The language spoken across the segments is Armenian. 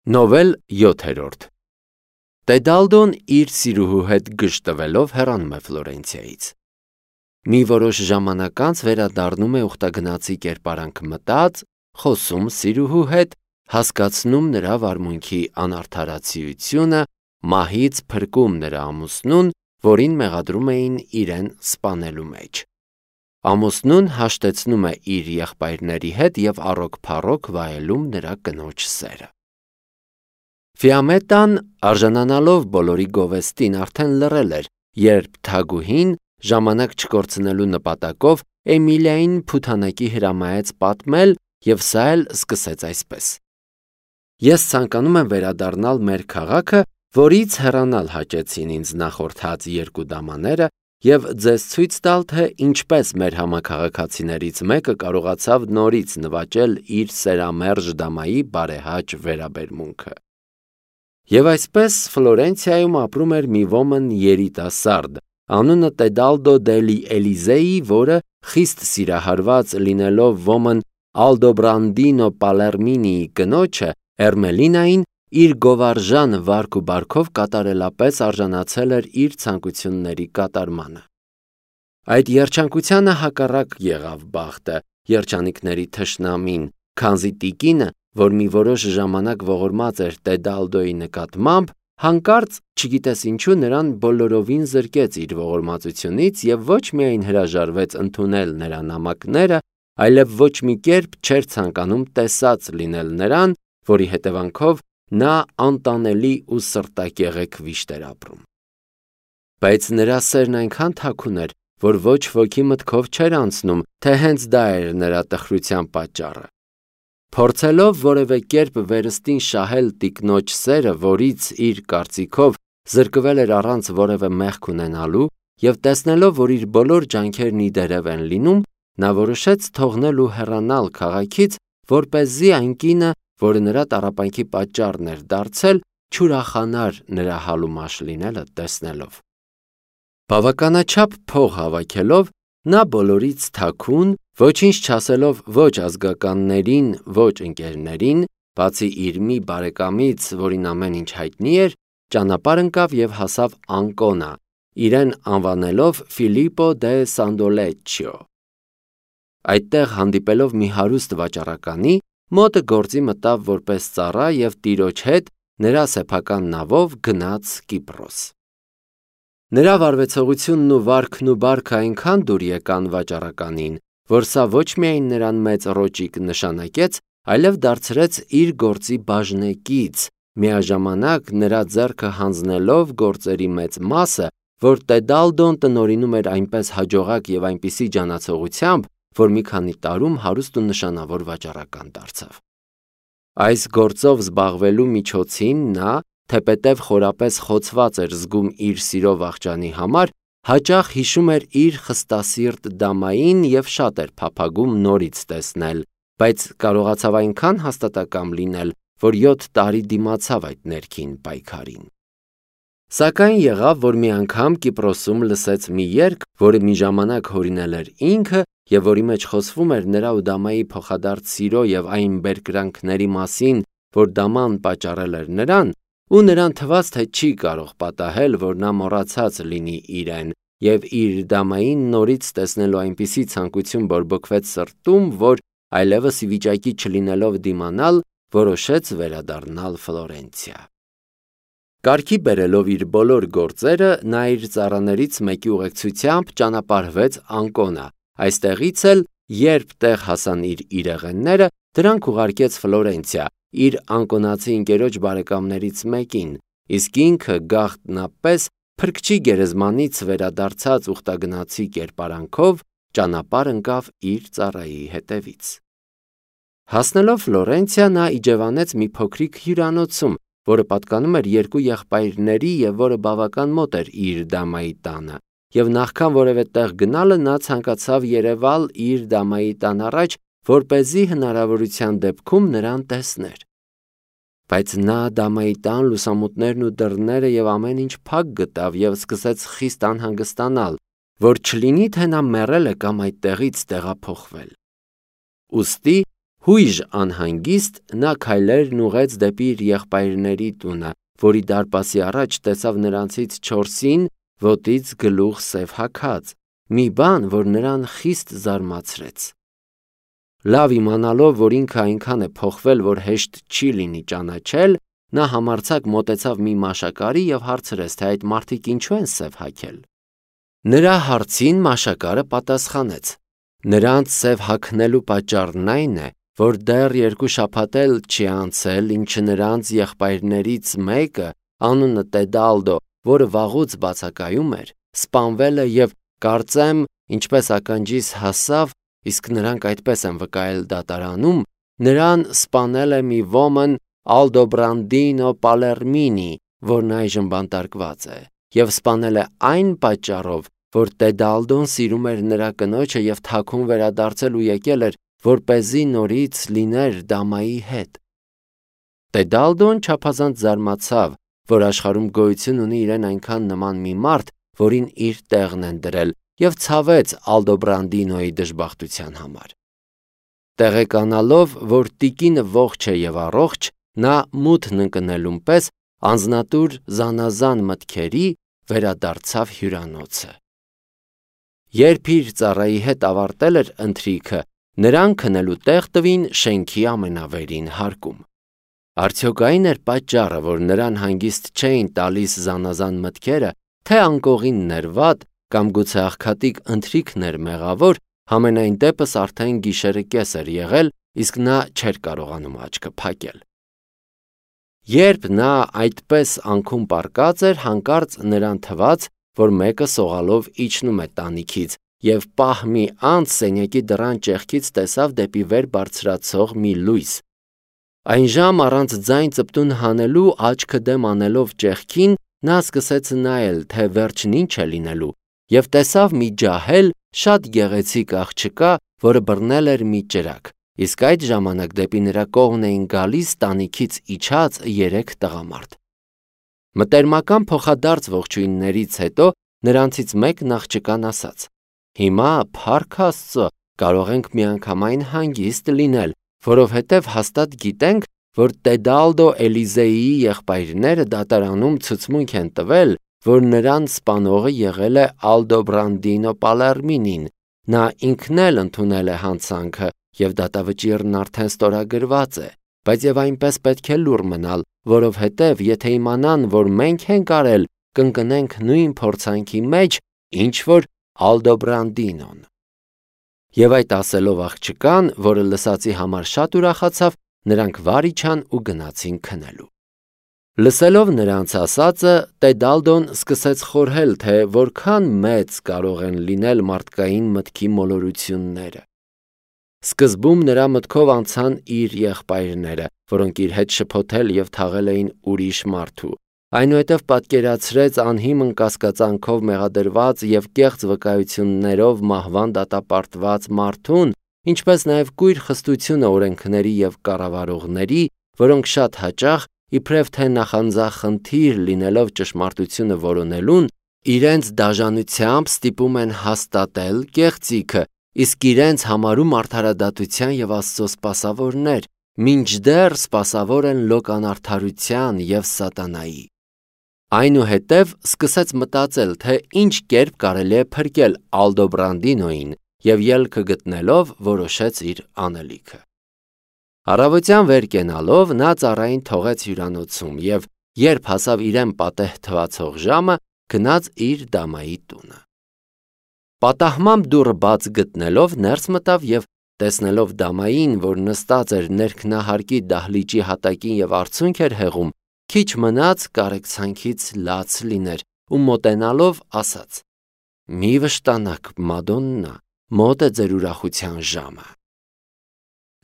Նովել 7-րդ Տեդալդոն իր սիրուհու հետ գժտվելով հեռանում է Ֆլորենցիայից։ Մի որոշ ժամանակ անց վերադառնում է ուխտագնացի կերպարանք մտած, խոսում սիրուհու հետ, հասկացնում նրա վարմունքի անարդարացիությունը, մահից փրկում նրա ամուսնուն, որին մեղադրում էին իրեն սպանելու մեջ։ Ամուսնուն հաշտեցնում է իր եղբայրների հետ և առոք-փառոք վայելում նրա կնոջ սերը։ Ֆիամետան, արժանանալով բոլորի գովեստին, արդեն լռել էր, երբ թագուհին, ժամանակ չկորցնելու նպատակով, Էմիլիային փութանակի հրամայեց պատմել, և սա էլ սկսեց այսպես. Ես ցանկանում եմ վերադառնալ մեր քաղաքը, որից հեռանալ հաճեցին ինձ նախորդած երկու դամաները, և ձեզ ցույց տալ, թե ինչպես մեր համաքաղաքացիներից մեկը կարողացավ նորից նվաճել իր սերամերժ դամայի բարեհաճ վերաբերմունքը։ Եվ այսպես Ֆլորենցիայում ապրում էր մի ոմն երիտասարդ, անունը Տեդալդո դելի Էլիզեի, որը խիստ սիրահարված լինելով ոմն Ալդոբրանդինո Պալերմինիի կնոջը Էրմելինային, իր գովարժան վարք ու բարքով կատարելապես արժանացել էր իր ցանկությունների կատարմանը։ Այդ երջանկությանը հակառակ եղավ բախտը, երջանիկների թշնամին, քանզի տիկինը, որ մի որոշ ժամանակ ողորմած էր Տեդալդոյի նկատմամբ, հանկարծ, չգիտես ինչու, նրան բոլորովին զրկեց իր ողորմածությունից և ոչ միայն հրաժարվեց ընդունել նրա նամակները, այլև ոչ մի կերպ չէր ցանկանում տեսած լինել նրան, որի հետևանքով նա անտանելի ու սրտակեղեք վիշտ էր ապրում։ Բայց նրա սերն այնքան թաքուն էր, որ ոչ ոքի մտքով չէր անցնում, թե հենց դա էր նրա տխրության պատճառը։ Փորձելով որևէ կերպ վերստին շահել տիկնոջ սերը, որից իր կարծիքով զրկվել էր առանց որևէ մեղք ունենալու, և տեսնելով, որ իր բոլոր ջանքերն ի դերև են լինում, նա որոշեց թողնել ու հեռանալ քաղաքից, որպեսզի այն կինը, որը նրա տառապանքի պատճառն էր դարձել, չուրախանար նրա հալումաշ լինելը տեսնելով։ Բավականաչափ փող հավաքելով, նա բոլորից թաքուն, ոչինչ չասելով ոչ ազգականներին, ոչ ընկերներին, բացի իր մի բարեկամից, որին ամեն ինչ հայտնի էր, ճանապարհ ընկավ և հասավ Անկոնա, իրեն անվանելով Ֆիլիպպո դե Սանդոլեչչիո։ Այդտեղ հանդիպելով մի հարուստ վաճառականի, մոտը գործի մտավ որպես ծառա և տիրոջ հետ նրա սեփական նավով գնաց Կիպրոս։ Նրա վարվեցողությունն ու վարքն ու բարքը այնքան դուր եկան վաճառականին, որ սա ոչ միայն նրան մեծ ռոճիկ նշանակեց, այլև դարձրեց իր գործի բաժնեկից, միաժամանակ նրա ձեռքը հանձնելով գործերի մեծ մասը, որ Տեդալդոն տնօրինում էր այնպես հաջողակ և այնպիսի ջանացողությամբ, որ մի քանի տարում հարուստ ու նշանավոր վաճառական դարձավ։ Այս գործով զբաղվելու միջոցին նա, թեպետև խորապես խոցված էր զգում իր սիրո վախճանի համար, հաճախ հիշում էր իր խստասիրտ դամային և շատ էր փափագում նորից տեսնել, բայց կարողացավ այնքան հաստատակամ լինել, որ 7 տարի դիմացավ այդ ներքին պայքարին։ Սակայն եղավ, որ մի անգամ Կիպրոսում լսեց մի երգ, որը մի ժամանակ հորինել էր ինքը և որի մեջ խոսվում էր նրա ու դամայի փոխադարձ սիրո և այն բերկրանքների մասին, որ դաման պատճառել էր նրան, ու նրան թվաց, թե չի կարող պատահել, որ նա մոռացած լինի իրեն, և իր դամային նորից տեսնելու այնպիսի ցանկություն բորբոքվեց սրտում, որ այլևս ի վիճակի չլինելով դիմանալ, որոշեց վերադառնալ Ֆլորենցիա։ Կարգի բերելով իր բոլոր գործերը, նա իր ծառաներից մեկի ուղեկցությամբ ճանապարհվեց Անկոնա, այստեղից էլ, երբ տեղ հասան իր իրեղենները, դրանք ուղարկեց Ֆլորենցիա, իր անկոնացի ընկերոջ բարեկամներից մեկին, իսկ ինքը գաղտնապես փրկչի գերեզմանից վերադարձած ուխտագնացի կերպարանքով ճանապարհ ընկավ իր ծառայի հետևից։ Հասնելով Ֆլորենցիա, նա իջևանեց մի փոքրիկ հյուրանոցում, որը պատկանում էր երկու եղբայրների և որը բավական մոտ էր իր դամայի տանը, և նախքան որևէ տեղ գնալը նա ցանկացավ երևալ իր դամայի տան առաջ, որպեսզի հնարավորության դեպքում նրան տեսներ։ Բայց նա դամայի տան լուսամուտներն ու դռները և ամեն ինչ փակ գտավ և սկսեց խիստ անհանգստանալ, որ չլինի թե նա մեռել է կամ այդտեղից տեղափոխվել։ Ուստի Հույժ անհանգիստ նա քայլերն ուղեց դեպի իր եղբայրների տունը, որի դարպասի առաջ տեսավ նրանցից 4-ին ոտից գլուխ սև հագած, մի բան, որ նրան խիստ զարմացրեց։ Լավ իմանալով, որ ինքը այնքան է փոխվել, որ հեշտ չի լինի ճանաչել, նա համարձակ մոտեցավ մի մաշակարի և հարցրեց, թե այդ մարդիկ ինչու են սև հագել։ Նրա հարցին մաշակարը պատասխանեց. նրանց սև հագնելու պատճառն այն է, որ դեռ 2 շաբաթ էլ չի անցել, ինչ նրանց եղբայրներից մեկը, անունը Տեդալդո, որը վաղուց բացակայում էր, սպանվել է և կարծեմ, ինչպես ականջիս հասավ, իսկ նրանք այդպես են վկայել դատարանում, նրան սպանել է մի ոմն Ալդոբրանդինո Պալերմինի, որն այժմ բանտարկված է, և սպանել է այն պատճառով, որ Տեդալդոն սիրում էր նրա կնոջը և թաքուն վերադարձել ու եկել էր, որպեսզի նորից լիներ դամայի հետ։ Տեդալդոն չափազանց զարմացավ, որ աշխարհում գոյություն ունի իրեն այնքան նման մի մարդ, որին իր տեղն են դրել, և ցավեց Ալդոբրանդինոյի դժբախտության համար։ Տեղեկանալով, որ տիկինը ողջ է և առողջ, նա մութն ընկնելուն պես անձնատուր զանազան մտքերի վերադարձավ հյուրանոցը։ Երբ իր ծառայի հետ ավարտել էր ընթրիքը, նրան քնելու տեղ տվին շենքի ամենավերին հարկում։ Արդյոք այն էր պատճառը, որ նրան հանգիստ չէին տալիս զանազան մտքերը, թե անկողինն էր վատ, կամ գուցե աղքատիկ ընթրիքն էր մեղավոր, համենայն դեպս արդեն գիշերը կես էր եղել, իսկ նա չէր կարողանում աչքը փակել։ Երբ նա այդպես անքում պառկած էր, հանկարծ նրան թվաց, որ մեկը սողալով իջնում է տանիքից, և պահ մի անց սենյակի դռան ճեղքից տեսավ դեպի վեր բարձրացող մի լույս։ Այնժամ առանց ձայն ծպտուն հանելու, աչքը դեմ անելով ճեղքին, նա սկսեց նայել, թե վերջն ինչ է լինելու, և տեսավ մի ջահել, շատ գեղեցիկ աղջկա, որը բռնել էր մի ճրագ, իսկ այդ ժամանակ դեպի նրա կողմն էին գալիս տանիքից իջած 3 տղամարդ։ Մտերմական փոխադարձ ողջույններից հետո նրանցից մեկն աղջկան ասաց. «Հիմա, փառք Աստծո, կարող ենք միանգամայն հանգիստ լինել, որովհետև հաստատ գիտենք, որ Տեդալդո Էլիզեիի եղբայրները դատարանում ցուցմունք են տվել, որ նրան սպանողը եղել է Ալդոբրանդինո Պալերմինին, նա ինքն էլ ընդունել է հանցանքը, և դատավճիռն արդեն ստորագրված է, բայց և այնպես պետք է լուռ մնալ, որովհետև եթե իմանան, որ մենք ենք արել, կընկնենք նույն փորձանքի մեջ, ինչ որ Ալդոբրանդինոն»։ Եվ այդ ասելով աղջկան, որը լսածի համար շատ ուրախացավ, նրանք վար իջան ու գնացին քնելու։ Լսելով նրանց ասածը, Տեդալդոն սկսեց խորհել, թե որքան մեծ կարող են լինել մարդկային մտքի մոլորությունները։ Սկզբում նրա մտքով անցան իր եղբայրները, որոնք իր հետ շփոթել և թաղել էին ուրիշ մարդու։ Այնուհետև պատկերացրեց անհիմն կասկածանքով մեղադրված և կեղծ վկայություններով մահվան դատապարտված մարդուն, ինչպես նաև կույր խստությունը օրենքների և կառավարողների, որոնք շատ հաճախ, իբրև թե նախանձախնդիր լինելով ճշմարտությունը որոնելուն, իրենց դաժանությամբ ստիպում են հաստատել կեղծիքը, իսկ իրենց համարում արդարադատության և Աստծո սպասավորներ, մինչդեռ սպասավոր են լոկանարդարության և սատանայի։ Այնուհետև սկսեց մտածել, թե ինչ կերպ կարելի է փրկել Ալդոբրանդինոյին, և ելքը գտնելով որոշեց իր անելիքը։ Առավոտյան վեր կենալով նա ծառային թողեց հյուրանոցում և, երբ հասավ իրեն պատեհ թվացող ժամը, գնաց իր դամայի տունը։ Պատահմամբ դուռը բաց գտնելով ներս մտավ և, տեսնելով դամային, որ նստած էր ներքնահարկի դահլիճի հատակին և արցունք էր հեղում, քիչ մնաց կարեկցանքից լաց լիներ ու մոտենալով ասաց. «Մի վշտանաք, Մադոննա, մոտ է ձեր ուրախության ժամը»։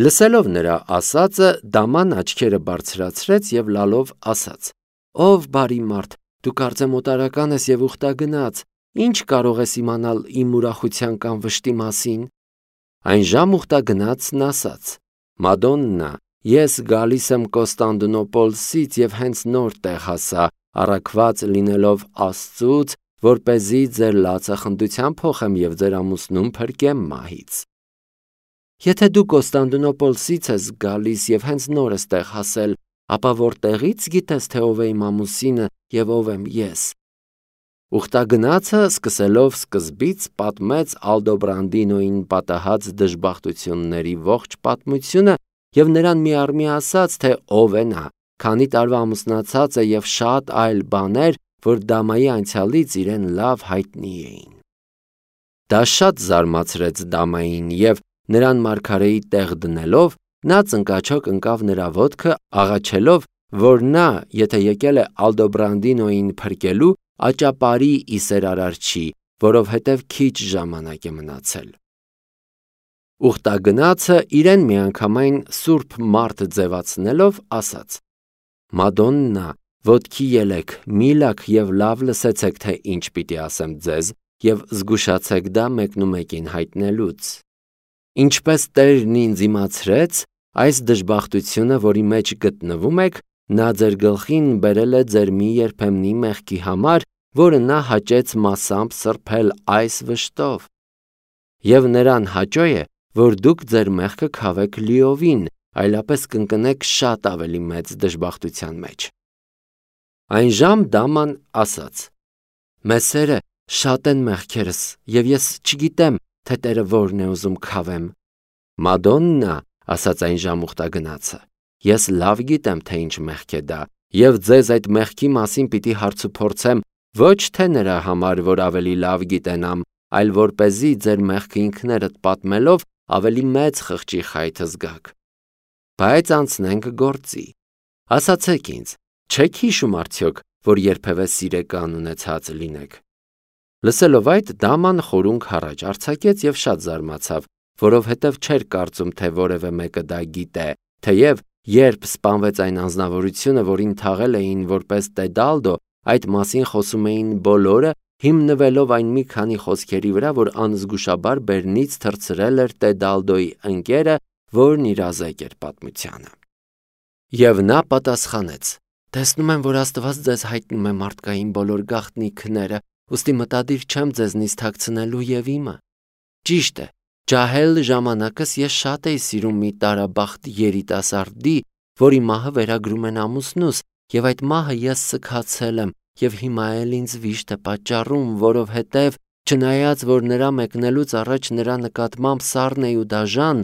Լսելով նրա ասածը, դաման աչքերը բարձրացրեց և լալով ասաց. «Ով բարի մարդ, դու կարծեմ օտարական ես և ուխտագնաց, ինչ կարող ես իմանալ իմ ուրախության կամ վշտի մասին»։ Այնժամ ուխտագնացն ասաց. «Մադոննա, ես գալիս եմ Կոստանդնուպոլսից և հենց նոր տեղ հասա, առաքված լինելով Աստծուց, որպեսզի ձեր լացախնդության փոխեմ և ձեր ամուսնուն փրկեմ մահից»։ Եթե դու Կոստանդնուպոլսից ես գալիս եւ հենց նոր ես տեղ հասել, ապա որտեղից գիտես, թե ով է իմ ամուսինը եւ ով եմ ես։ Ուխտագնացը սկսելով սկզբից պատմեց Ալդոբրանդինոյին պատահած դժբախտությունների ողջ պատմությունը եւ նրան միառմի ասաց, թե ով է նա, քանի տարվա ամուսնացած է եւ շատ այլ բաներ, որ Դամայի անցյալից իրեն լավ հայտնի էին։ Դա շատ զարմացրեց Դամային եւ նրան մարգարեի տեղ դնելով, նա ծնկաչոք ընկավ նրա ոտքը, աղաչելով, որ նա, եթե եկել է Ալդոբրանդինոյին փրկելու, աճապարի իսեր արարչի, որովհետև քիչ ժամանակ է մնացել։ Ուխտագնացը իրեն միանգամայն սուրբ մարդ ձևացնելով ասաց. Մադոննա, ոտքի ելեք, միլակ եւ լավ լսեցեք, թե ինչ պիտի ասեմ ձեզ, եւ զգուշացեք դա մեկնումեկին հայտնելուց։ Ինչպես Տերն ինձ իմացրեց, այս դժբախտությունը, որի մեջ գտնվում եք, նա ձեր գլխին բերել է ձեր մի երբեմնի մեղքի համար, որը նա հաճեց մասամբ սրբել այս վշտով։ Եվ նրան հաճո է, որ դուք ձեր մեղքը քավեք լիովին, այլապես կընկնեք շատ ավելի մեծ դժբախտության մեջ։ Այնժամ Դաման ասաց. Մեսերը շատ են մեղքերս, եւ ես չգիտեմ, թե Տերը որն է ուզում քավեմ։ Մադոննա, ասաց այնժամ ուխտագնացը, ես լավ գիտեմ, թե ինչ մեղք է դա, եւ ձեզ այդ մեղքի մասին պիտի հարցուփորձեմ ոչ թե նրա համար, որ ավելի լավ գիտենամ, այլ որպեսզի ձեր մեղքը ինքներդ պատմելով ավելի մեծ խղճի խայթը զգաք։ Բայց անցնենք գործի։ Ասացեք ինձ, չեք հիշում արդյոք, որ երբևէ սիրեկան ունեցած լինեք։ Լսելով այդ, Դաման խորունգ հառաջ արձակեց եւ շատ զարմացավ, որովհետև չէր կարծում, թե որևէ մեկը դա գիտե, թեև երբ սպանվեց այն անձնավորությունը, որին թաղել էին որպես Տեդալդո, այդ մասին խոսում էին բոլորը, հիմնվելով այն մի քանի խոսքերի վրա, որ անզգուշաբար բերնից թռցրել էր Տեդալդոյի ընկերը, որն իրազեկ էր պատմությանը։ Եվ նա պատասխանեց. տեսնում եմ, որ Աստված ձեզ հայտնում է մարդկային բոլոր գաղտնիքները, ուստի մտադիր չեմ ձեզնից թաքցնելու եւ իմը։ Ճիշտ է, ջահել ժամանակս ես շատ էի սիրում մի տարաբախտ երիտասարդի, որի մահը վերագրում են ամուսնուս, եւ այդ մահը ես սքացել եմ, եւ հիմա էլ ինձ վիշտ է պատճառում, որովհետեւ չնայած որ նրա մեկնելուց առաջ նրա նկատմամբ սառն էի ու դաժան,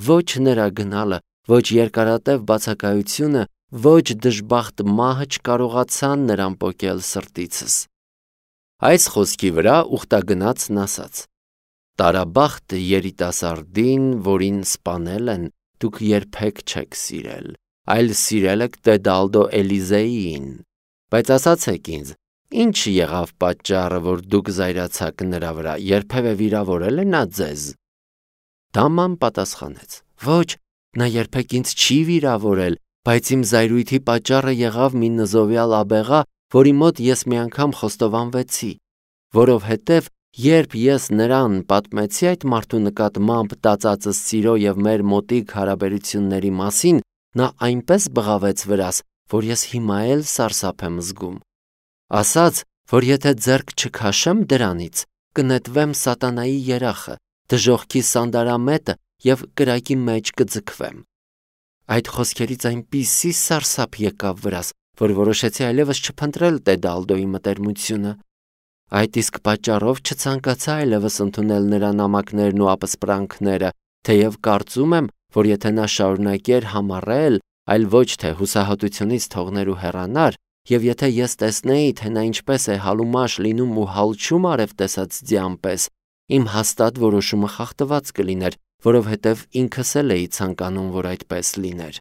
ոչ նրա գնալը, ոչ երկարատև բացակայությունը, ոչ դժբախտ մահը չկարողացան նրան պոկել սրտիցս։ Այս խոսքի վրա ուխտագնացն ասաց. տարաբախտ երիտասարդին, որին սպանել են, դուք երբեք չեք սիրել, այլ սիրել եք Տեդալդո Էլիզեին, բայց ասացեք ինձ, ինչ եղավ պատճառը, որ դուք զայրացաք նրա վրա, երբևէ վիրավորել է նա ձեզ։ Դաման պատասխանեց. ոչ, նա երբեք ինձ չի վիրավորել, բայց իմ զայրույթի պատճառը եղավ մի նզովյալ աբեղա, որի մոտ ես մի անգամ խոստովանվեցի, որովհետև երբ ես նրան պատմեցի այդ մարդու նկատմամբ տածածս սիրո եւ մեր մոտիկ հարաբերությունների մասին, նա այնպես բղավեց վրաս, որ ես հիմա էլ սարսափ եմ զգում։ Ասաց, որ եթե ձեռք չքաշեմ դրանից, կնետվեմ սատանայի երախը, դժոխքի սանդարամետը եւ կրակի մեջ կձգվեմ։ Այդ խոսքերից այնպիսի սարսափ եկավ վրաս, որ որոշեցի այլևս չփնտրել Տեդալդոյի մտերմությունը։ Այդ իսկ պատճառով չցանկացա այլևս ընդունել նրա նամակներն ու ապսպրանքները, թեև կարծում եմ, որ եթե նա շարունակեր համառել, այլ ոչ թե հուսահատությունից թողներ ու հեռանար, եւ եթե ես տեսնեի, թե նա ինչպես է հալումաշ լինում ու հալչում արև տեսած ձյան պես, իմ հաստատ որոշումը խախտված կլիներ, որովհետև ինքս էլ էի ցանկանում, որ այդպես լիներ։